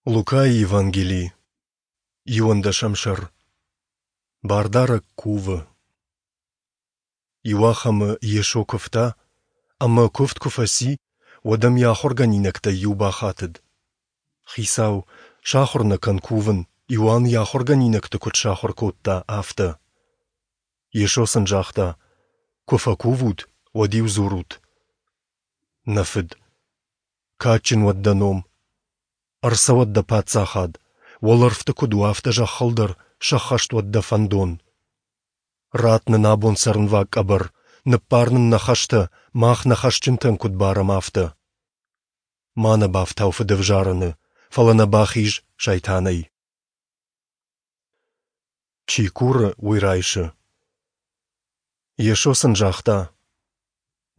Лукайы Евангели, иуӕндӕсӕм сӕр. Бардарӕг кувы. Иуахӕмы Йесо куывта, ӕмӕ куывд куы фӕци, уӕд ӕм йӕ ахуыргӕнинӕгтӕй иу бахатыд: Хицау, сахуыр нӕ кӕн кувын, Иоанн йӕ ахуыргӕнинӕгты куыд сахуыр кодта, афтӕ. Йесо сын загъта: Куы фӕкувут, уӕд-иу дзурут: Нӕ Фыд, кадджын уӕд дӕ ном, Ӕрцӕуӕд дӕ паддзахад, уӕлӕрвты куыд у, афтӕ зӕххыл дӕр сӕххӕст уӕд дӕ фӕндон. Ратт нын абон цӕрынваг къӕбӕр, ныббар нын нӕ хӕстӕ, мах нӕ хӕсджынтӕн куыд барӕм, афтӕ. Ма нӕ бафтау фыдӕвзарӕны, фӕлӕ нӕ бахиз сайтанӕй. Чи куры, уый райсы. Йесо сын загъта: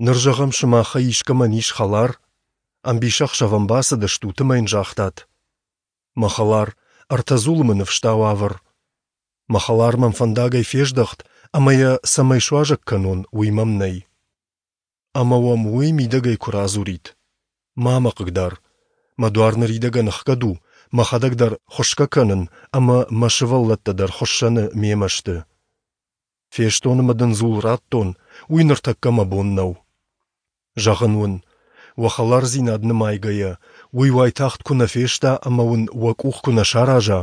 Ныр, зӕгъӕм, сымахӕй искӕмӕн ис хӕлар, ӕмбисӕхсӕв ӕм бацыдыстут ӕмӕ йын загътат: Мӕ хӕлар, ӕртӕ дзулы мын ӕфстау авӕр. Мӕ хӕлар мӕм фӕндагӕй фездӕхт, ӕмӕ йӕ цӕмӕй суазӕг кӕнон, уый мӕм нӕй. Ӕмӕ уӕм уый мидӕгӕй куы радзурид: Ма мӕ хъыгдар, мӕ дуар ныридӕгӕн ӕхгӕд у, мӕхӕдӕг дӕр хуысгӕ кӕнын ӕмӕ мӕ сывӕллӕттӕ дӕр хуыссӕны мемӕ сты. Фестон ӕмӕ дын дзул радтон, уый ныртӕккӕ мӕ бон нӕу. Зӕгъын уын, уӕ хӕлардзинад нымайгӕйӕ, уый уайтагъд куы нӕ феста ӕмӕ уын уӕ къух куы нӕ сараза,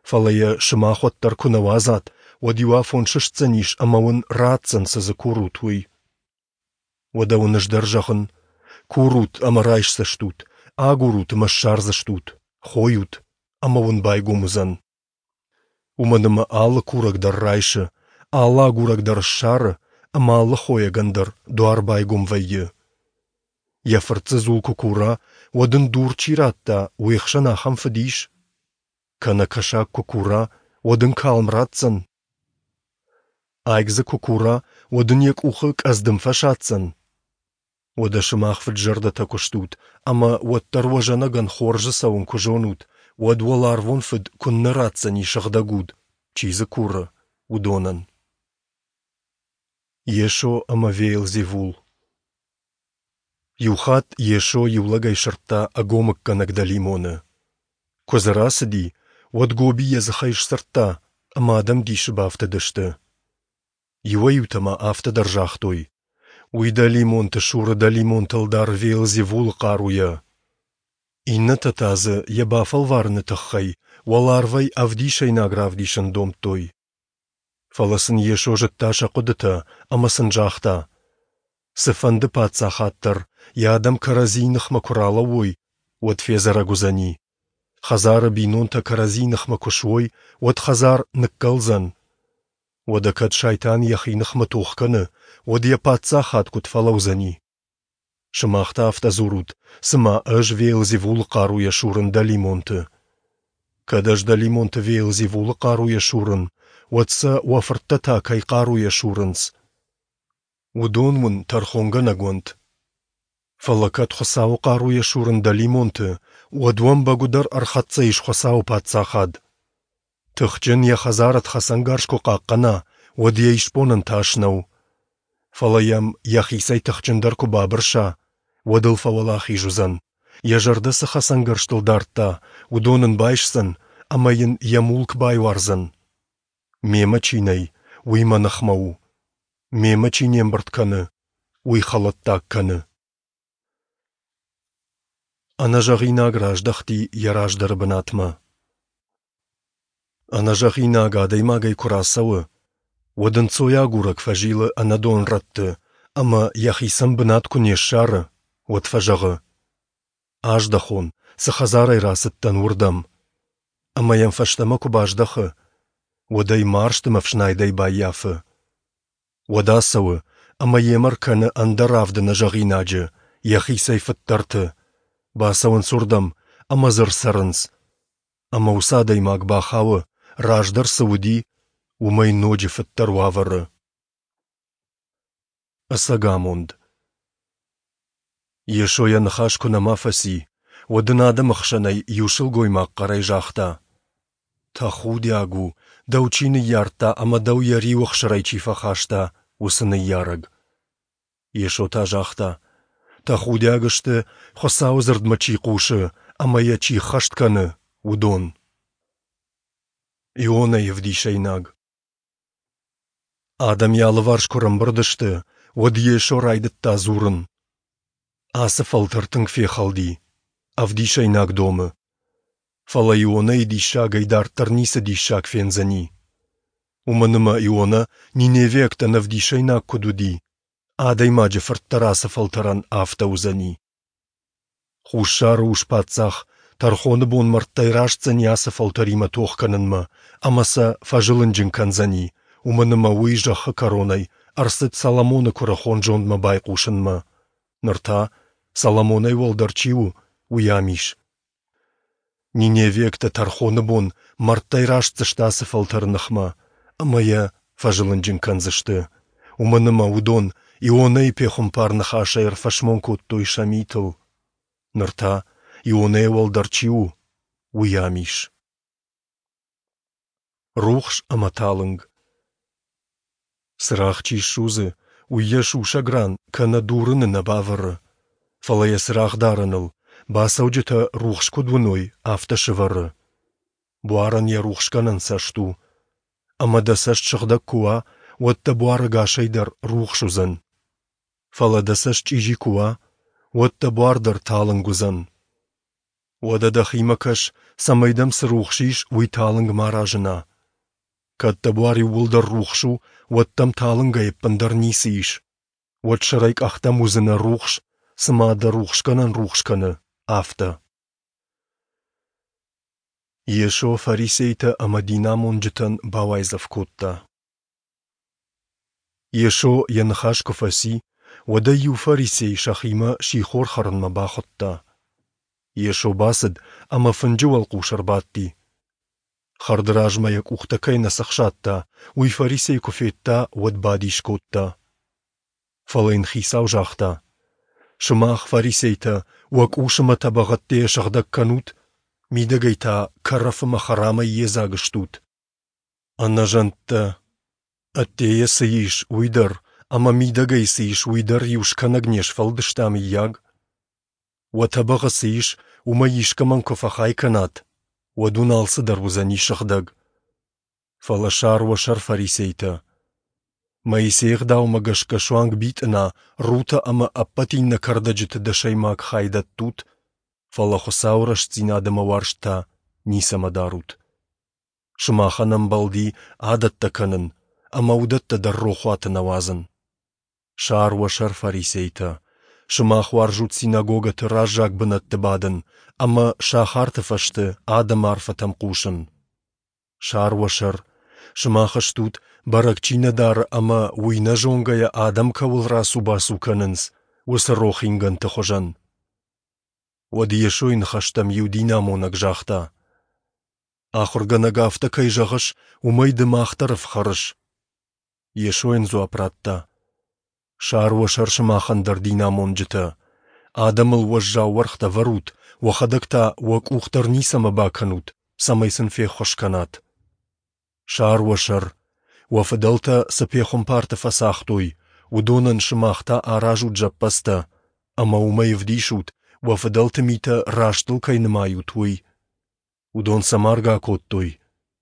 фӕлӕ йӕ сымах уӕддӕр куы нӕ уадзат, уӕд иу афон сыстдзӕнис ӕмӕ уын ратдзӕн, цы дзы курут, уый. Уӕдӕ уын ӕз дӕр зӕгъын, курут ӕмӕ райсдзыстут, агурут ӕмӕ ссардзыстут, хойут ӕмӕ уын байгом уыдзӕн. Уымӕн ӕмӕ алы курӕг дӕр райсы, алы агурӕг дӕр ссары ӕмӕ алы хойӕгӕн дӕр дуар байгом вӕййы. Йӕ фырт дзы дзул куы кура, уӕд ын дур чи радта, уе хсӕн ахӕм фыд ис? Кӕнӕ кӕсаг куы кура, уӕд ын калм ратдзӕн? Айк дзы куы кура, уӕд ын йӕ къухы къӕдздым фӕсадздзӕн? Уӕдӕ сымах фыд-зӕрдӕтӕ куы стут, ӕмӕ уӕддӕр уӕ зӕнӕгӕн хорзы цӕуын куы зонут, уӕд уӕларвон Фыд куыннӕ ратдзӕни Сыгъдӕг Уд, чи дзы куры, уыдонӕн. Йесо ӕмӕ Веелзевул Иухатт Йесо иу лӕгӕй сырдта ӕгомыггӕнӕг дӕлимоны. Куы дзы рацыди, уӕд гоби йӕ дзыхӕй сдзырдта, ӕмӕ адӕм дисы бафтыдысты. Иуӕй-иутӕ ма афтӕ дӕр загътой: Уый дӕлимонты суры дӕлимонты ӕлдар Веелзевулы хъаруйӕ. Иннӕтӕ та дзы йӕ бафӕлварыны тыххӕй уӕларвӕй ӕвдисӕйнаг равдисын домдтой. Фӕлӕ сын Йесо зыдта сӕ хъуыдытӕ ӕмӕ сын загъта: Цыфӕнды паддзахад дӕр, йӕ адӕм кӕрӕдзийы ныхмӕ куы ралӕууой, уӕд федзӕрӕг уыдзӕни. Хӕдзары бинонтӕ кӕрӕдзийы ныхмӕ куы суой, уӕд хӕдзар ныккӕлдзӕн. Уӕдӕ кӕд Сайтан йӕхи ныхмӕ тох кӕны, уӕд йӕ паддзахад куыд фӕлӕудзӕни? Сымах та афтӕ дзурут, цыма ӕз Веелзевулы хъаруйӕ сурын дӕлимонты. Кӕд ӕз дӕлимонты Веелзевулы хъаруйӕ сурын, уӕд сӕ уӕ фырттӕ та кӕй хъаруйӕ сурынц? Уыдон уын тӕрхонгӕнӕг уӕнт. Фӕлӕ кӕд Хуыцауы хъаруйӕ сурын дӕлимонты, уӕд уӕм бӕгуыдӕр ӕрхӕццӕ ис Хуыцауы Паддзахад. Тыхджын йӕ хӕдзар ӕд хӕцӕнгарз куы хъахъхъӕна, уӕд йӕ исбонӕн тас нӕу. Фӕлӕ йӕм йӕхицӕй тыхджындӕр куы бабырса, уӕд ыл фӕуӕлахиз уыдзӕн. Йӕ зӕрдӕ цы хӕцӕнгӕрзтыл дардта, уыдон ын байсдзӕн ӕмӕ йын йӕ мулк байуардзӕн. Мемӕ чи нӕй, уый мӕ ныхмӕ у. Мемӕ чи не мбырд кӕны, уый хӕлӕттаг кӕны. Ӕнӕзӕгъинаг раздӕхти йӕ раздӕры бынатмӕ. Ӕнӕзӕгъинаг адӕймагӕй куы рацӕуы, уӕд ӕнцойагурӕг фӕзилы ӕнӕдон рӕтты ӕмӕ йӕхицӕн бынат куы не ссары, уӕд фӕзӕгъы: Аздӕхон, цы хӕдзарӕй рацыдтӕн, уырдӕм. Ӕмӕ йӕм фӕстӕмӕ куы баздӕхы, уӕд ӕй марзт ӕмӕ ӕфснайдӕй баййафы. Уӕд ацӕуы ӕмӕ йемӕ ркӕны ӕндӕр авды нӕзӕгъинаджы, йӕхицӕй фыддӕрты. Бацӕуынц уырдӕм ӕмӕ дзы ӕрцӕрынц. Ӕмӕ уыцы адӕймаг бахауы, раздӕр цы уыди, уымӕй ноджы фыддӕр уавӕры. Ӕцӕг амонд. Йесо йӕ ныхас куы нӕма фӕци, уӕд ын адӕмы хсӕнӕй иу сылгоймаг хъӕрӕй загъта: Тӕхудиаг у, дӕу чи ныййардта ӕмӕ дӕу йӕ риуы ӕхсырӕй чи фӕхаста, уыцы ныййарӕг. Йесо та загъта: Тӕхудиаг сты, Хуыцауы дзырдмӕ чи хъусы ӕмӕ йӕ чи ӕххӕст кӕны, уыдон. Ионӕйы ӕвдисӕйнаг. Адӕм йӕ алыварс куы рӕмбырд сты, уӕд Йесо райдыдта дзурын. Ацы фӕлтӕр тынг фехӕлди, ӕвдисӕйнаг домы. Фӕлӕ Ионӕйы диссагӕй дарддӕр ницы диссаг фендзӕни. Уымӕн ӕмӕ Ионӕ ниневиӕгтӕн ӕвдисӕйнаг куыд уыди, Адӕймаджы Фырт дӕр ацы фӕлтӕрӕн афтӕ уыдзӕни. Хуссары ус-паддзах тӕрхоны бон мӕрдтӕй растдзӕни ацы фӕлтӕримӕ тох кӕнынмӕ ӕмӕ сӕ фӕзылынджын кӕндзӕни, уымӕн ӕмӕ уый зӕххы кӕронӕй ӕрцыд Соломоны куырыхон зондмӕ байхъусынмӕ. Ныр та, Соломонӕй уӕлдӕр чи у, уый ам ис. Ниневиӕгтӕ тӕрхоны бон мӕрдтӕй растдзысты ацы фӕлтӕры ныхмӕ ӕмӕ йӕ фӕзылынджын кӕндзысты, уымӕн ӕмӕ уыдон Ионӕйы пехуымпар ныхасӕй ӕрфӕсмон кодтой сӕ митыл. Ныр та, Ионӕйӕ уӕлдӕр чи у, уый ам ис. Рухс ӕмӕ талынг. Цырагъ чи ссудзы, уый йӕ сусӕг ран кӕнӕ дурыны нӕ бавӕры, фӕлӕ йӕ цырагъдарӕныл, бацӕуджытӕ рухс куыд уыной, афтӕ сӕвӕры. Буарӕн йӕ рухсгӕнӕн цӕст у. Ӕмӕ дӕ цӕст сыгъдӕг куы уа, уӕд дӕ буар ӕгасӕй дӕр рухс уыдзӕн. Фӕлӕ дӕ цӕст чъизи куы уа, уӕд дӕ буар дӕр талынг уыдзӕн. Уӕдӕ дӕхимӕ кӕс, цӕмӕй дӕм цы рухс ис, уый талынг ма разына. Кӕд дӕ буар иууылдӕр рухс у, уӕд дӕм талынгӕй ӕппындӕр ницы ис. Уӕд сӕрӕй къӕхтӕм уыдзынӕ рухс, цыма дӕ рухсгӕнӕн рухс кӕны, афтӕ. Йесо фарисейтӕ ӕмӕ динамонджытӕн бауайдзӕф кодта. Йесо йӕ ныхас куы фӕци, уӕд ӕй иу фарисей сӕхимӕ сихор хӕрынмӕ бахуыдта. Йесо бацыд ӕмӕ фынджы уӕлхъус ӕрбадти. Хӕрды размӕ йӕ къухтӕ кӕй нӕ цӕхсадта, уый фарисей куы федта, уӕд бадис кодта. Фӕлӕ йын хицау загъта: Сымах, фарисейтӕ, уӕ къус ӕмӕ тӕбӕгъ ӕддейӕ сыгъдӕг кӕнут, мидӕгӕй та кӕрӕф ӕмӕ хӕрамӕй йедзаг стут. Ӕнӕзӕндтӕ! Ӕддейӕ цы ис, уый дӕр, ӕмӕ мидӕгӕй цы ис, уый дӕр иу скӕнӕг не сфӕлдыста, мыййаг? Уӕ тӕбӕгъы цы ис, уымӕй искӕмӕн куы фӕхай кӕнат, уӕд уын алцыдӕр уыдзӕни сыгъдӕг. Фӕлӕ сар уӕ сӕр фарисейтӕ! Моисейы ӕгъдаумӕ гӕсгӕ суанг битъына, рутӕ ӕмӕ ӕппӕт иннӕ кӕрдӕджыты дӕсӕймаг хай дӕттут, фӕлӕ Хуыцауы рӕстдзинад ӕмӕ уарзт та ницӕмӕ дарут. Сымахӕн ӕмбӕлди адӕттӕ кӕнын ӕмӕ уыдӕттӕ дӕр рохуаты нӕ уадзын. Сар уӕ сӕр, фарисейтӕ! Сымах уарзут синагогӕты раззаг бынӕтты бадын ӕмӕ сахарты фӕзты адӕмы арфӕтӕм хъусын. Сар уӕ сӕр! Сымах стут, бӕрӕг чи нӕ дары ӕмӕ уый нӕ зонгӕйӕ адӕм кӕуыл рацу-бацу кӕнынц, уыцы рох ингӕнты хуызӕн. Уӕд Йесойы ныхӕстӕм иу динамонӕг загъта: Ахуыргӕнӕг, афтӕ кӕй зӕгъыс, уымӕй ды мах дӕр ӕфхӕрыс. Йесо йын дзуапп радта: Сар уӕ сӕр сымахӕн дӕр динамонджытӕ. Адӕмыл уӕззау уӕргътӕ вӕрут, уӕхӕдӕг та уӕ къух дӕр ницӕмӕ бакӕнут, цӕмӕй сын феххуыс кӕнат. Сар уӕ сӕр, уӕ фыдӕлтӕ цы пехуымпарты фӕцагътой, уыдонӕн сымах та аразут зӕппӕдзтӕ, ӕмӕ уымӕй ӕвдисут, уӕ фыдӕлты митӕ растыл кӕй нымайут, уый. Уыдон сӕ маргӕ акодтой,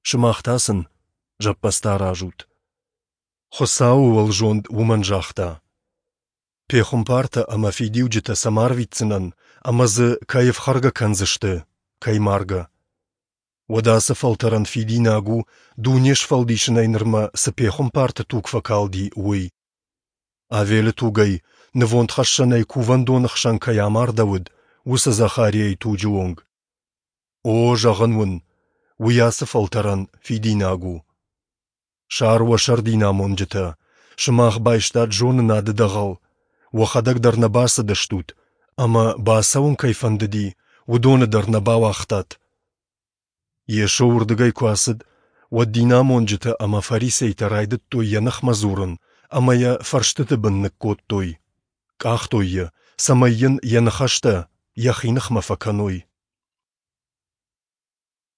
сымах та сын зӕппӕдзтӕ аразут. Хуыцауы уӕлзонд уымӕн загъта: Пехуымпартӕ ӕмӕ фидиуджытӕ сӕм арвитдзынӕн, ӕмӕ дзы кӕй ӕфхӕргӕ кӕндзысты, кӕй маргӕ. Уӕдӕ ацы фӕлтӕрӕн фидинаг у, дуне сфӕлдисынӕй нырмӕ цы пехуымпарты туг фӕкалди, уый. Авелы тугӕй, нывондхӕссӕнӕй кувӕндоны хсӕн кӕй амардӕуыд, уыцы Захариайы туджы онг. О, зӕгъын уын, уый ацы фӕлтӕрӕн фидинаг у. Сар уӕ сӕр динамонджытӕ, сымах байстат зонынады дӕгъӕл, уӕхӕдӕг дӕр нӕ бацыдыстут, ӕмӕ бацӕуын кӕй фӕндыди, уыдоны дӕр нӕ бауагътат. Йесо уырдыгӕй куы ацыд, уӕд динамонджытӕ ӕмӕ фарисейтӕ райдыдтой йӕ ныхмӕ дзурын ӕмӕ йӕ фӕрстыты бын ныккодтой, къахтой йӕ, цӕмӕй йын йӕ ныхӕстӕ йӕхи ныхмӕ фӕкӕной.